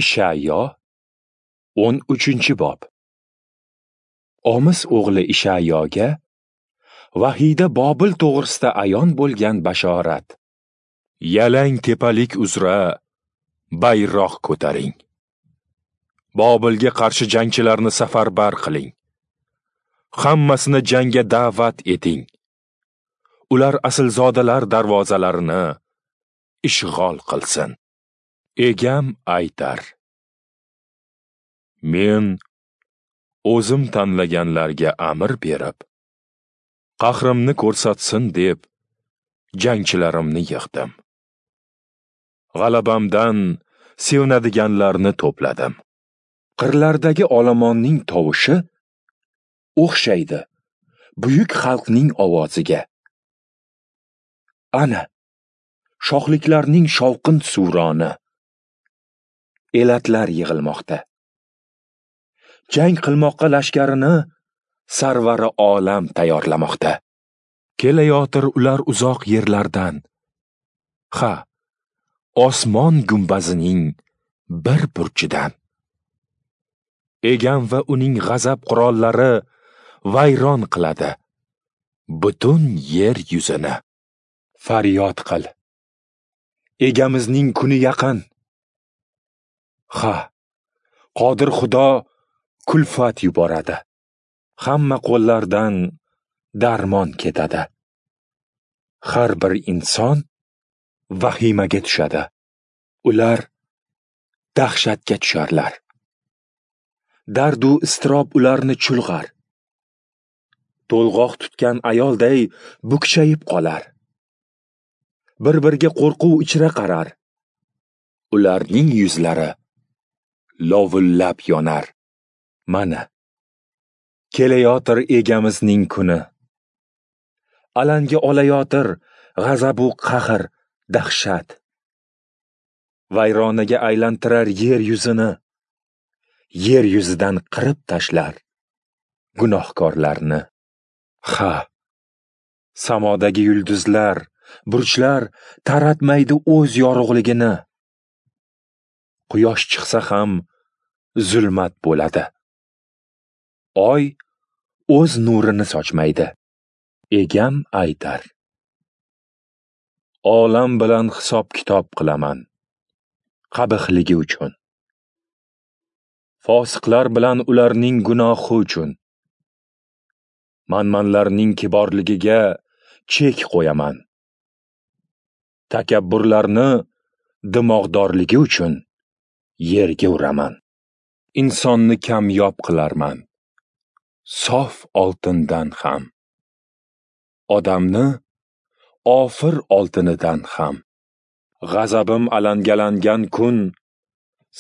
Ishayyo 13-bob. Omis o'g'li Ishayyoga vahiyda Bobil to'g'risida ayon bo'lgan bashorat. Yalang tepalik uzra bayroq ko'taring. Bobilga qarshi jangchilarni safarbar qiling. Hammasini jangga da'vat eting. Ular aslzodalar darvozalarini ishg'ol qilsin. Egam aytar: Men o'zim tanlaganlarga amr berib, qahrimni ko'rsatsin deb jangchilarimni yig'dim. G'alabamdan sevinadiganlarni to'pladim. Qirlardagi olomonning tovushi o'xshaydi buyuk xalqning ovoziga. Ana, shohliklarning shovqin suroni. Elatlar yig'ilmoqda. Jang qilmoqqa lashkarini sarvari olam tayyorlamoqda. Kelayotir ular uzoq yerlardan. Ha, osmon gumbazining bir burchidan. Egam va uning g'azab qurollari vayron qiladi butun yer yuzini. Faryod qil. Egamizning kuni yaqin. Ha, Qodir Xudo kulfat yuboradi. Hamma qo'llardan darmon ketadi. Har bir inson vahimaga tushadi. Ular dahshatga tusharlar. Dardu iztirob ularni chulg'ar. To'lg'oq tutgan ayolday bukchayib qolar. Bir-biriga qo'rquv ichra qarar. Ularning yuzlari lovullab yonar. Mana, kelayotir egamizning kuni. Alanga olayotir g'azabu qahr, dahshat. Vayronaga aylantirar yer yuzini. Yer yuzidan qirib tashlar gunohkorlarni. Ha, samodagi yulduzlar, burchlar taratmaydi o'z yorug'ligini. Quyosh chiqsa ham zulmat bo'ladi. Oy o'z nurini sochmaydi. Egam aytar: Olam bilan hisob-kitob qilaman qabihligi uchun. Fosiqlar bilan ularning gunohi uchun. Manmanlarning kiborligiga chek qo'yaman. Takabburlarni dimog'dorligi uchun yerga uraman. Insonni kamyob qilarman, sof oltindan ham. Odamni ofir oltinidan ham. G'azabim alangalangan kun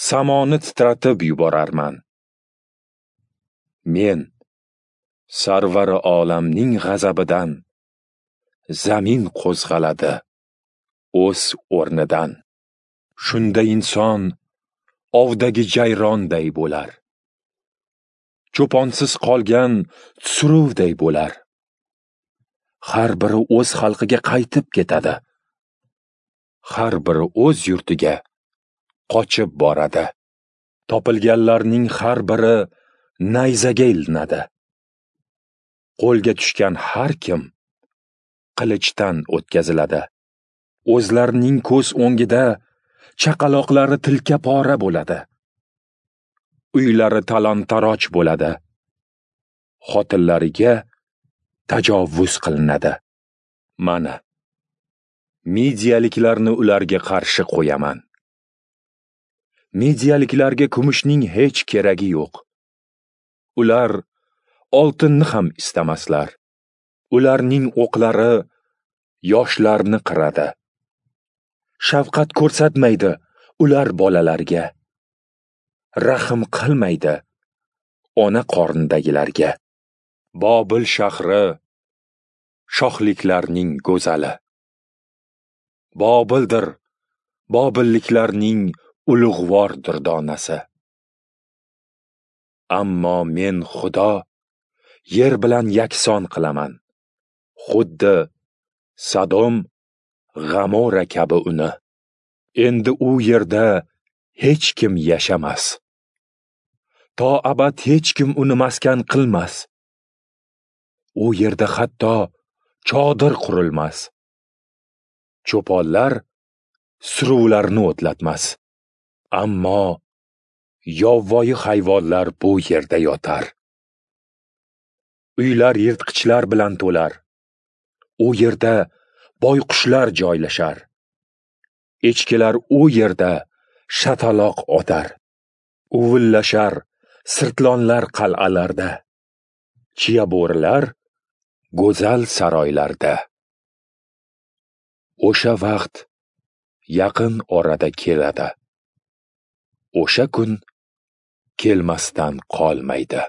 samoni titratib yuborarman. Men sarvari olamning g'azabidan zamin qo'zg'aladi o'z o'rnidan. Shunda inson ovdagi jayronday bo'lar. Cho'ponsiz qolgan suruvday bo'lar. Har biri o'z xalqiga qaytib ketadi. Har biri o'z yurtiga qochib boradi. Topilganlarning har biri nayzaga ilinadi. Qo'lga tushgan har kim qilichdan o'tkaziladi. O'zlarining ko'z o'ngida chaqaloqlari tilka pora bo'ladi. Uylari talon-taroj bo'ladi. Xotinlariga tajovuz qilinadi. Mana, Midiyaliklarni ularga qarshi qo'yaman. Midiyaliklarga kumushning hech keragi yo'q. Ular oltinni ham istamaslar. Ularning o'qlari yoshlarni qiradi. Shafqat ko'rsatmaydi ular bolalarga. Rahm qilmaydi ona qornidagilarga. Bobil shahri shohliklarning go'zali. Bobildir bobilliklarning ulug'vor durdonasi. Ammo men Xudo yer bilan yakson qilaman. Xuddi Sodom, G'amora kabi uni. Endi u yerda hech kim yashamas. To abad hech kim uni maskan qilmas. U yerda hatto chodir qurilmas. Cho'ponlar suruvlarni o'tlatmas. Ammo yovvoyi hayvonlar bu yerda yotar. Uylar yirtqichlar bilan to'lar. U yerda boyqushlar joylashar. Echkilar u yerda shataloq otar. Uvillashar sirtlonlar qal'alarda. Chiya bo'rilar go'zal saroylarda. O'sha vaqt yaqin orada keladi. O'sha kun kelmasdan qolmaydi.